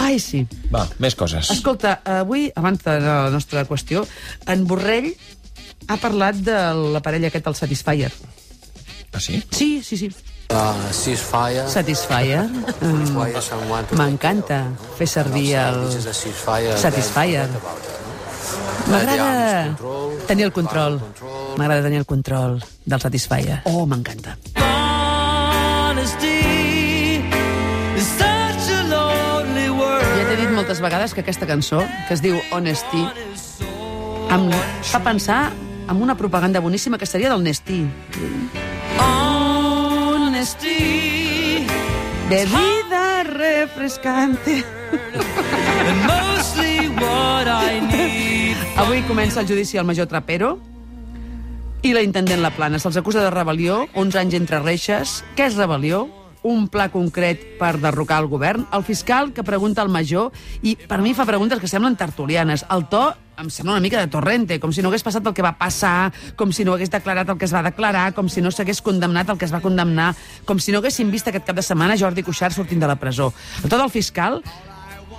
Ai, sí. Va, més coses. Escolta, avui, abans de la nostra qüestió, en Borrell ha parlat de la parella aquest, el Satisfyer. Ah, sí? Sí. Ceasefire. Satisfyer. M'encanta fer servir el Satisfyer. M'agrada tenir el control. M'agrada tenir el control del Satisfyer. Oh, m'encanta. Ja t'he dit moltes vegades que aquesta cançó, que es diu Honesty, em fa pensar en una propaganda boníssima que seria del Nestí. Honesty, bebida refrescante. Avui comença el judici al major Trapero i la intendent La Plana. Se'ls acusa de rebel·lió, 11 anys entre reixes. Què és rebel·lió? Un pla concret per derrocar el govern. El fiscal que pregunta al major, i per mi fa preguntes que semblen tertulianes. El to em sembla una mica de Torrente, com si no hagués passat el que va passar, com si no hagués declarat el que es va declarar, com si no s'hagués condemnat el que es va condemnar, com si no haguéssim vist aquest cap de setmana Jordi Cuixart sortint de la presó. El to del fiscal,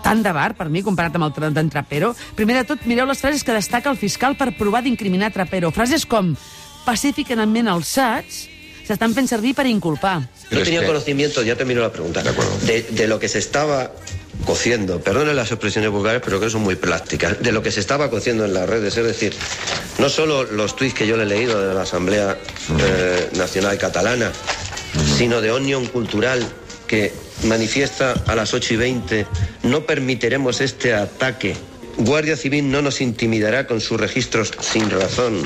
tant de bar, per mi, comparat amb el d'en Trapero. Primer de tot, mireu les frases que destaca el fiscal per provar d'incriminar Trapero. Frases com pacíficament alçats s'estan fent servir per inculpar. No tenía conocimiento, ya termino la pregunta, de lo que se estaba cociendo, perdonen las expresiones vulgares, pero que son muy plásticas, de lo que se estaba cociendo en las redes, es decir, no solo los tuits que yo le he leído de la Asamblea Nacional Catalana, sino de Òmnium Cultural, que manifiesta a las 8:20, no permitiremos este ataque. Guardia Civil no nos intimidará con sus registros sin razón.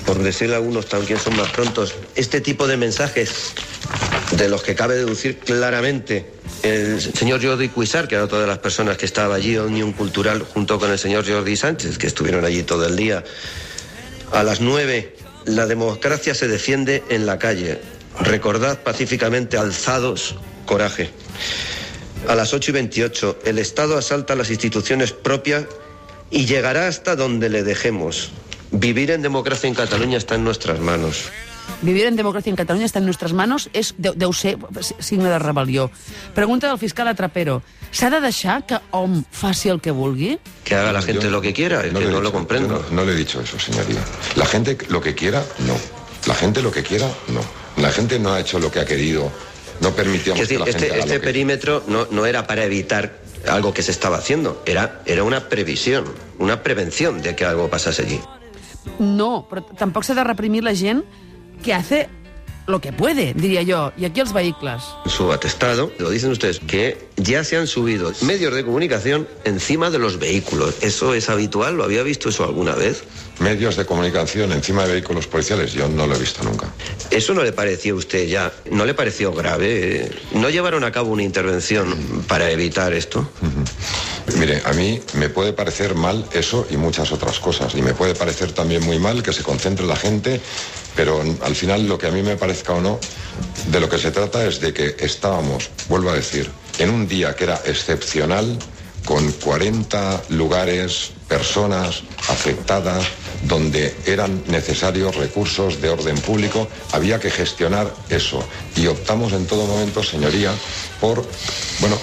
Por decirle a algunos también son más prontos. Este tipo de mensajes, de los que cabe deducir claramente el señor Jordi Cuixart, que era otra de las personas que estaba allí, Òmnium Cultural, junto con el señor Jordi Sánchez, que estuvieron allí todo el día. A las 9, la democracia se defiende en la calle. Recordad pacíficamente, alzados, coraje. A las 8:28, el Estado asalta las instituciones propias y llegará hasta donde le dejemos. Vivir en democracia en Catalunya està en nostres manos. Vivir en democracia en Catalunya està en nostres manos deu ser signe de rebel·lió. Pregunta del fiscal a Trapero. ¿S'ha de deixar que hom faci el que vulgui? Que haga la gente lo que quiera, es que no lo comprendo. No le he dicho eso, señoría. La gente lo que quiera, no. La gente lo que quiera, no. La gente no ha hecho lo que ha querido. No permitíamos que la gente haga este perímetro no era para evitar algo que se estaba haciendo. Era una previsión, una prevención de que algo pasase allí. No, però tampoc s'ha de reprimir la gent que hace lo que puede, diría yo. Y aquí els vehicles. Su atestado, lo dicen ustedes, que ya se han subido medios de comunicación encima de los vehículos. ¿Eso es habitual? ¿Lo había visto eso alguna vez? Medios de comunicación encima de vehículos policiales, yo no lo he visto nunca. ¿Eso no le pareció a usted ya? ¿No le pareció grave? ¿No llevaron a cabo una intervención para evitar esto? Mire, a mí me puede parecer mal eso y muchas otras cosas. Y me puede parecer también muy mal que se concentre la gente, pero al final lo que a mí me parezca o no, de lo que se trata es de que estábamos, vuelvo a decir, en un día que era excepcional, con 40 lugares, personas afectadas, donde eran necesarios recursos de orden público, había que gestionar eso. Y optamos en todo momento, señoría, por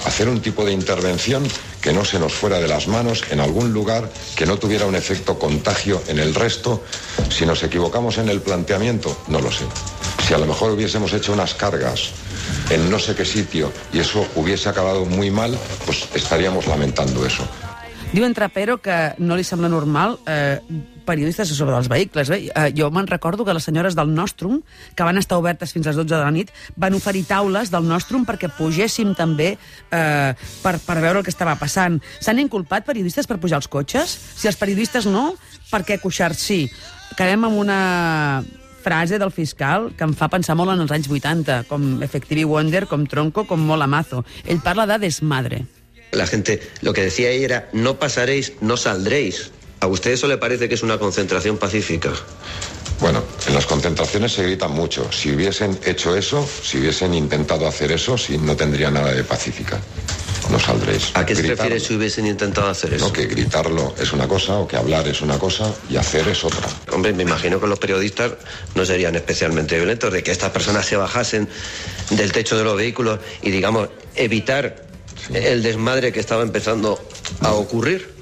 hacer un tipo de intervención que no se nos fuera de las manos en algún lugar, que no tuviera un efecto contagio en el resto. Si nos equivocamos en el planteamiento, no lo sé. Si a lo mejor hubiésemos hecho unas cargas en no sé qué sitio y eso hubiese acabado muy mal, pues estaríamos lamentando eso. Diu en Trapero que no li sembla normal periodistes sobre els vehicles. Jo me'n recordo que les senyores del Nostrum, que van estar obertes fins a les 12 de la nit, van oferir taules del Nostrum perquè pugéssim també per veure el que estava passant. S'han inculpat periodistes per pujar als cotxes? Si els periodistes no, per què Cuixart sí? Acabem amb una frase del fiscal que em fa pensar molt en els anys 80, com Effective Wonder, com Tronco, com Mola Mazo. Ell parla de desmadre. La gente, lo que decía ella era, no pasaréis, no saldréis. ¿A usted eso le parece que es una concentración pacífica? Bueno, en las concentraciones se grita mucho. Si hubiesen hecho eso, si hubiesen intentado hacer eso, sí, no tendría nada de pacífica. no saldréis. ¿A qué se Gritarlo. refiere si hubiesen intentado hacer eso? No, que gritarlo es una cosa, o que hablar es una cosa, y hacer es otra. Hombre, me imagino que los periodistas no serían especialmente violentos, de que estas personas se bajasen del techo de los vehículos y, digamos, evitar el desmadre que estava empezando a ocurrir.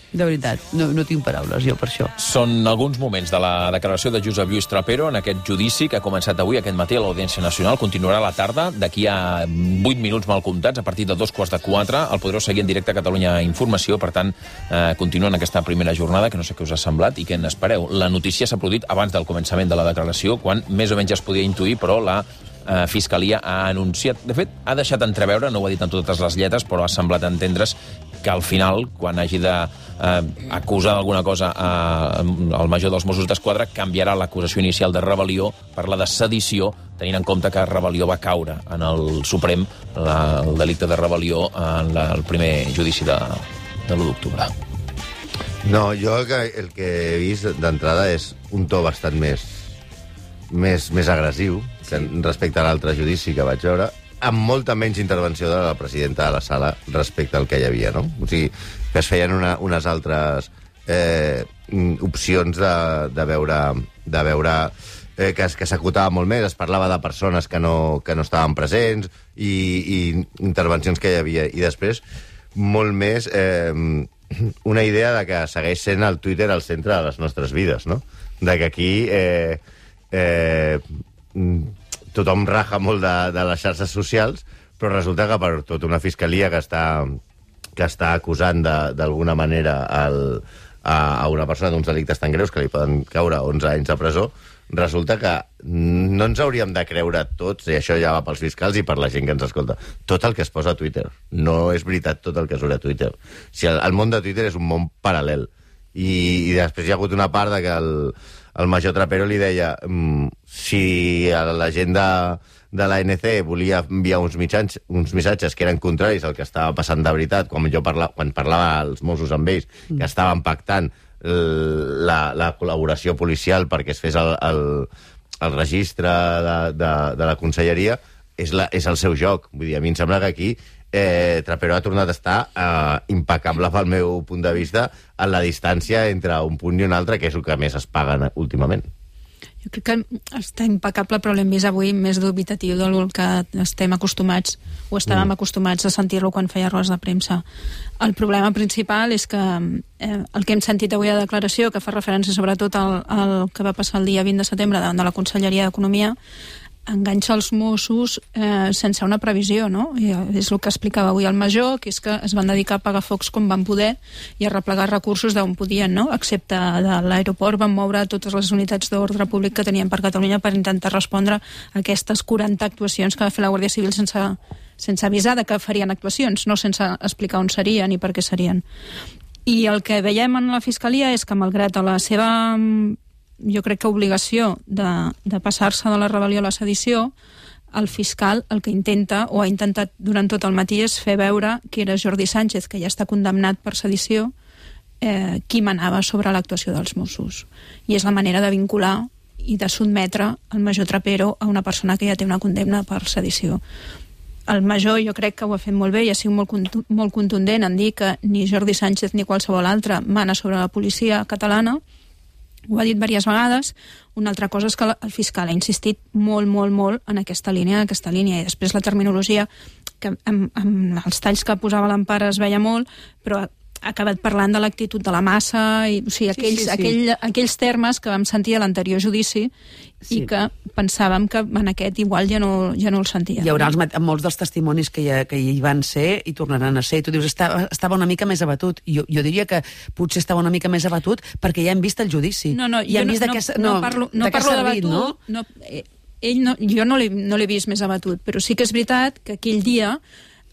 De veritat, no tinc paraules jo per això. Són alguns moments de la declaració de Josep Lluís Trapero en aquest judici que ha començat avui, aquest matí, a l'Audiència Nacional. Continuarà a la tarda, d'aquí a 8 minuts mal comptats, a partir de 3:45. El podreu seguir en directe a Catalunya Informació. Per tant, continua en aquesta primera jornada, que no sé què us ha semblat i què n'espereu. La notícia s'ha produït abans del començament de la declaració, quan més o menys es podia intuir, però la Fiscalia ha anunciat... De fet, ha deixat entreveure, no ho ha dit en totes les lletres, però ha semblat entendre's que al final, quan hagi d'acusar d'alguna cosa al major dels Mossos d'Esquadra, canviarà l'acusació inicial de rebel·lió per la de sedició, tenint en compte que rebel·lió va caure en el Suprem, el delicte de rebel·lió, en el primer judici de l'1 d'octubre. No, jo el que he vist d'entrada és un to bastant més agressiu respecte a l'altre judici que vaig veure, amb molta menys intervenció de la presidenta de la sala respecte al que hi havia, no? O sigui, que es feien unes altres opcions de veure que s'acotava molt més, es parlava de persones que no estaven presents i intervencions que hi havia. I després, molt més, una idea de que segueix sent el Twitter al centre de les nostres vides, no? De que aquí tothom raja molt de les xarxes socials, però resulta que per tota una fiscalia que està acusant d'alguna manera a una persona d'uns delictes tan greus que li poden caure 11 anys de presó, resulta que no ens hauríem de creure tots, i això ja va pels fiscals i per la gent que ens escolta, tot el que es posa a Twitter. No és veritat tot el que surt a Twitter. Si el món de Twitter és un món paral·lel. I després hi ha hagut una part de que el major Trapero li deia si la gent de l'ANC volia enviar uns missatges que eren contraris al que estava passant de veritat, quan parlava als Mossos amb ells, que estaven pactant la col·laboració policial perquè es fes el registre de la conselleria, és el seu joc. Vull dir, a mi em sembla que aquí Trapero ha tornat a estar impecable pel meu punt de vista en la distància entre un punt i un altre, que és el que més es paguen últimament. Jo crec que està impecable, però l'hem vist avui més dubitatiu del que estem acostumats, o estàvem acostumats a sentir-lo quan feia rodes de premsa. El problema principal és que el que hem sentit avui a declaració, que fa referència sobretot al que va passar el dia 20 de setembre davant de la Conselleria d'Economia, enganxa els Mossos sense una previsió, no? I és el que explicava avui el major, que és que es van dedicar a apagar focs com van poder i a replegar recursos d'on podien, no? Excepte de l'aeroport van moure totes les unitats d'ordre públic que tenien per Catalunya per intentar respondre a aquestes 40 actuacions que va fer la Guàrdia Civil sense avisar de que farien actuacions, no sense explicar on serien i per què serien. I el que veiem en la Fiscalia és que, malgrat a la seva, jo crec que obligació de passar-se de la rebel·lió a la sedició, el fiscal el que intenta, o ha intentat durant tot el matí, és fer veure que era Jordi Sánchez, que ja està condemnat per sedició, qui manava sobre l'actuació dels Mossos. I és la manera de vincular i de sotmetre el major Trapero a una persona que ja té una condemna per sedició. El major jo crec que ho ha fet molt bé i ha sigut molt contundent en dir que ni Jordi Sánchez ni qualsevol altre mana sobre la policia catalana. Ho ha dit diverses vegades. Una altra cosa és que el fiscal ha insistit molt en aquesta línia, i després la terminologia, que amb els talls que posava l'Empara es veia molt, però ha acabat parlant de l'actitud de la massa, i, o sigui, aquells termes que vam sentir a l'anterior judici i que pensàvem que en aquest igual ja no el sentia. Hi haurà molts dels testimonis que hi van ser i tornaran a ser. I tu dius, estava una mica més abatut. Jo diria que potser estava una mica més abatut perquè ja hem vist el judici. No parlo d'abatut. Jo no l'he vist més abatut, però sí que és veritat que aquell dia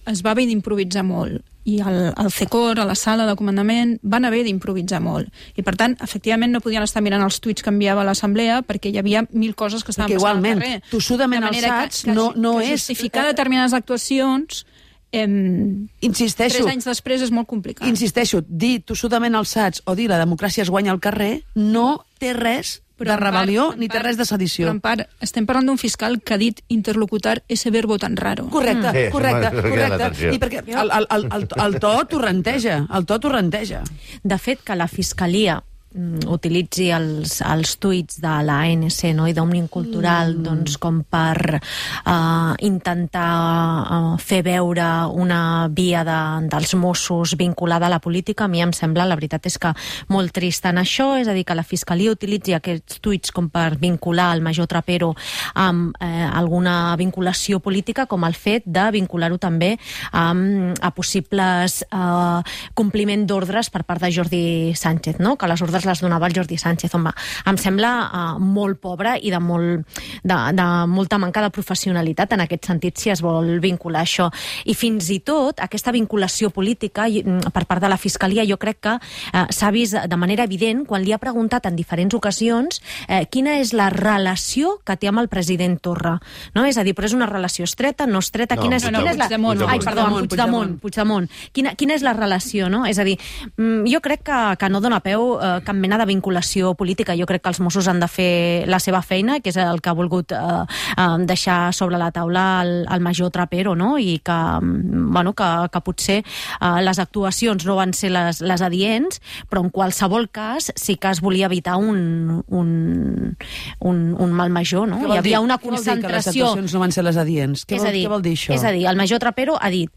es va haver d'improvisar molt. I al CECOR, a la sala de comandament, van haver d'improvisar molt. I, per tant, efectivament, no podien estar mirant els tuits que enviava l'Assemblea perquè hi havia 1000 coses que estaven passant al carrer. Tossudament alçats no és... Justificar determinades actuacions... Insisteixo. 3 anys després és molt complicat. Insisteixo, dir tossudament alçats o dir la democràcia es guanya al carrer no té res de rebel·lió ni té res de sedició. Però en part, estem parlant d'un fiscal que ha dit interlocutar ese verbo tan raro. Correcte, Sí, correcte. m'ha cridat l'atenció. I perquè el to torrenteja. De fet, que la Fiscalia utilitzi els tuits de l'ANC, no? I d'Òmnium Cultural doncs, com per intentar fer veure una via dels Mossos vinculada a la política, a mi em sembla, la veritat és que molt trist en això, és a dir, que la Fiscalia utilitzi aquests tuits com per vincular el major Trapero amb alguna vinculació política, com el fet de vincular-ho també a possibles compliment d'ordres per part de Jordi Sánchez, no? Que les ordres les donava el Jordi Sánchez. Home, em sembla molt pobre i de molta manca de professionalitat en aquest sentit, si es vol vincular això. I fins i tot aquesta vinculació política per part de la Fiscalia jo crec que s'ha vist de manera evident quan li ha preguntat en diferents ocasions quina és la relació que té amb el president Torra. No? És a dir, però és una relació estreta, no estreta? Quina és la... Puigdemont. Quina és la relació? No? És a dir, jo crec que no dona peu cap mena de vinculació política. Jo crec que els Mossos han de fer la seva feina, que és el que ha volgut deixar sobre la taula el major Trapero, no? I que potser les actuacions no van ser les adients, però en qualsevol cas sí que es volia evitar un mal major, no? Hi havia una concentració... Que les actuacions no van ser les adients? Què vol dir això? És a dir, el major Trapero ha dit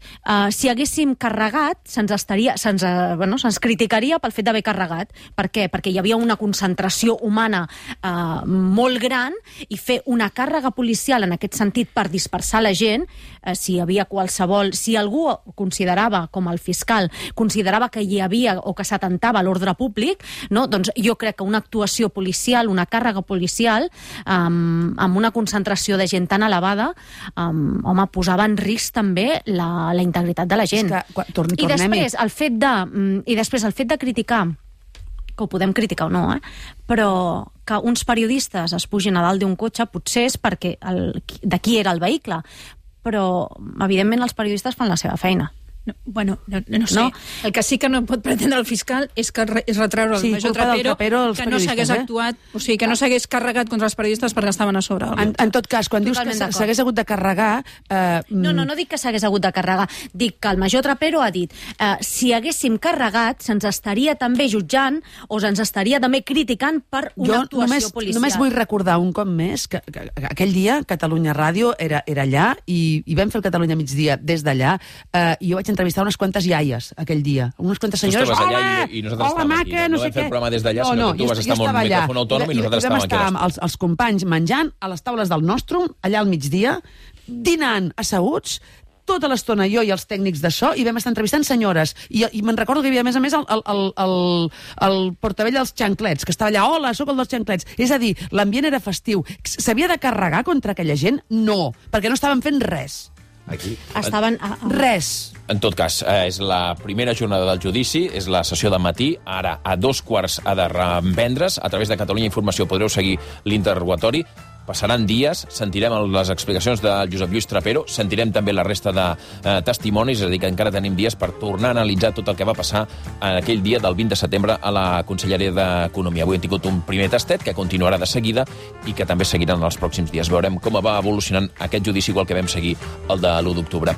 si haguéssim carregat, se'ns criticaria pel fet d'haver carregat. Per què? Perquè hi havia una concentració humana molt gran i fer una càrrega policial en aquest sentit per dispersar la gent, si algú considerava, com el fiscal, considerava que hi havia o que s'atentava a l'ordre públic, no? Doncs jo crec que una actuació policial, una càrrega policial, amb una concentració de gent tan elevada, posava en risc també la integritat de la gent. I després el fet de criticar, que ho podem criticar o no, però que uns periodistes es pugin a dalt d'un cotxe potser és perquè de qui era el vehicle, però evidentment els periodistes fan la seva feina. No sé. El que sí que no pot pretendre el fiscal és retreure el major Trapero que no s'hagués actuat, o sigui, que no s'hagués carregat contra els periodistes perquè estaven a sobre. En tot cas, quan dius que s'hagués hagut de carregar... No dic que s'hagués hagut de carregar. Dic que el major Trapero ha dit si haguéssim carregat se'ns estaria també jutjant o se'ns estaria també criticant per una actuació policial. Només vull recordar un cop més que aquell dia Catalunya Ràdio era allà i vam fer el Catalunya Migdia des d'allà i jo vaig entrevistar unes quantes iaies aquell dia, unes quantes senyores. Tu estaves allà i nosaltres estàvem aquí. No vam fer el programa des d'allà, sinó que tu vas estar amb un micròfon autònom i nosaltres estàvem aquí. Vam estar els companys menjant a les taules del Nostrum, allà al migdia, dinant asseguts, tota l'estona jo i els tècnics de so, i vam estar entrevistant senyores. I me'n recordo que hi havia, a més el portavell dels xanclets, que estava allà, hola, sóc el dels xanclets. És a dir, l'ambient era festiu. S'havia de carregar contra aquella gent? No, perquè no estaven fent res. Aquí. Estaven... Res. En tot cas, és la primera jornada del judici, és la sessió de matí, ara a 2:15 ha de reprendre's. A través de Catalunya Informació podreu seguir l'interrogatori. Passaran dies, sentirem les explicacions de Josep Lluís Trapero, sentirem també la resta de testimonis, és a dir, que encara tenim dies per tornar a analitzar tot el que va passar en aquell dia del 20 de setembre a la Conselleria d'Economia. Avui hem tingut un primer tastet que continuarà de seguida i que també seguiran els pròxims dies. Veurem com va evolucionant aquest judici igual que vam seguir el de l'1 d'octubre.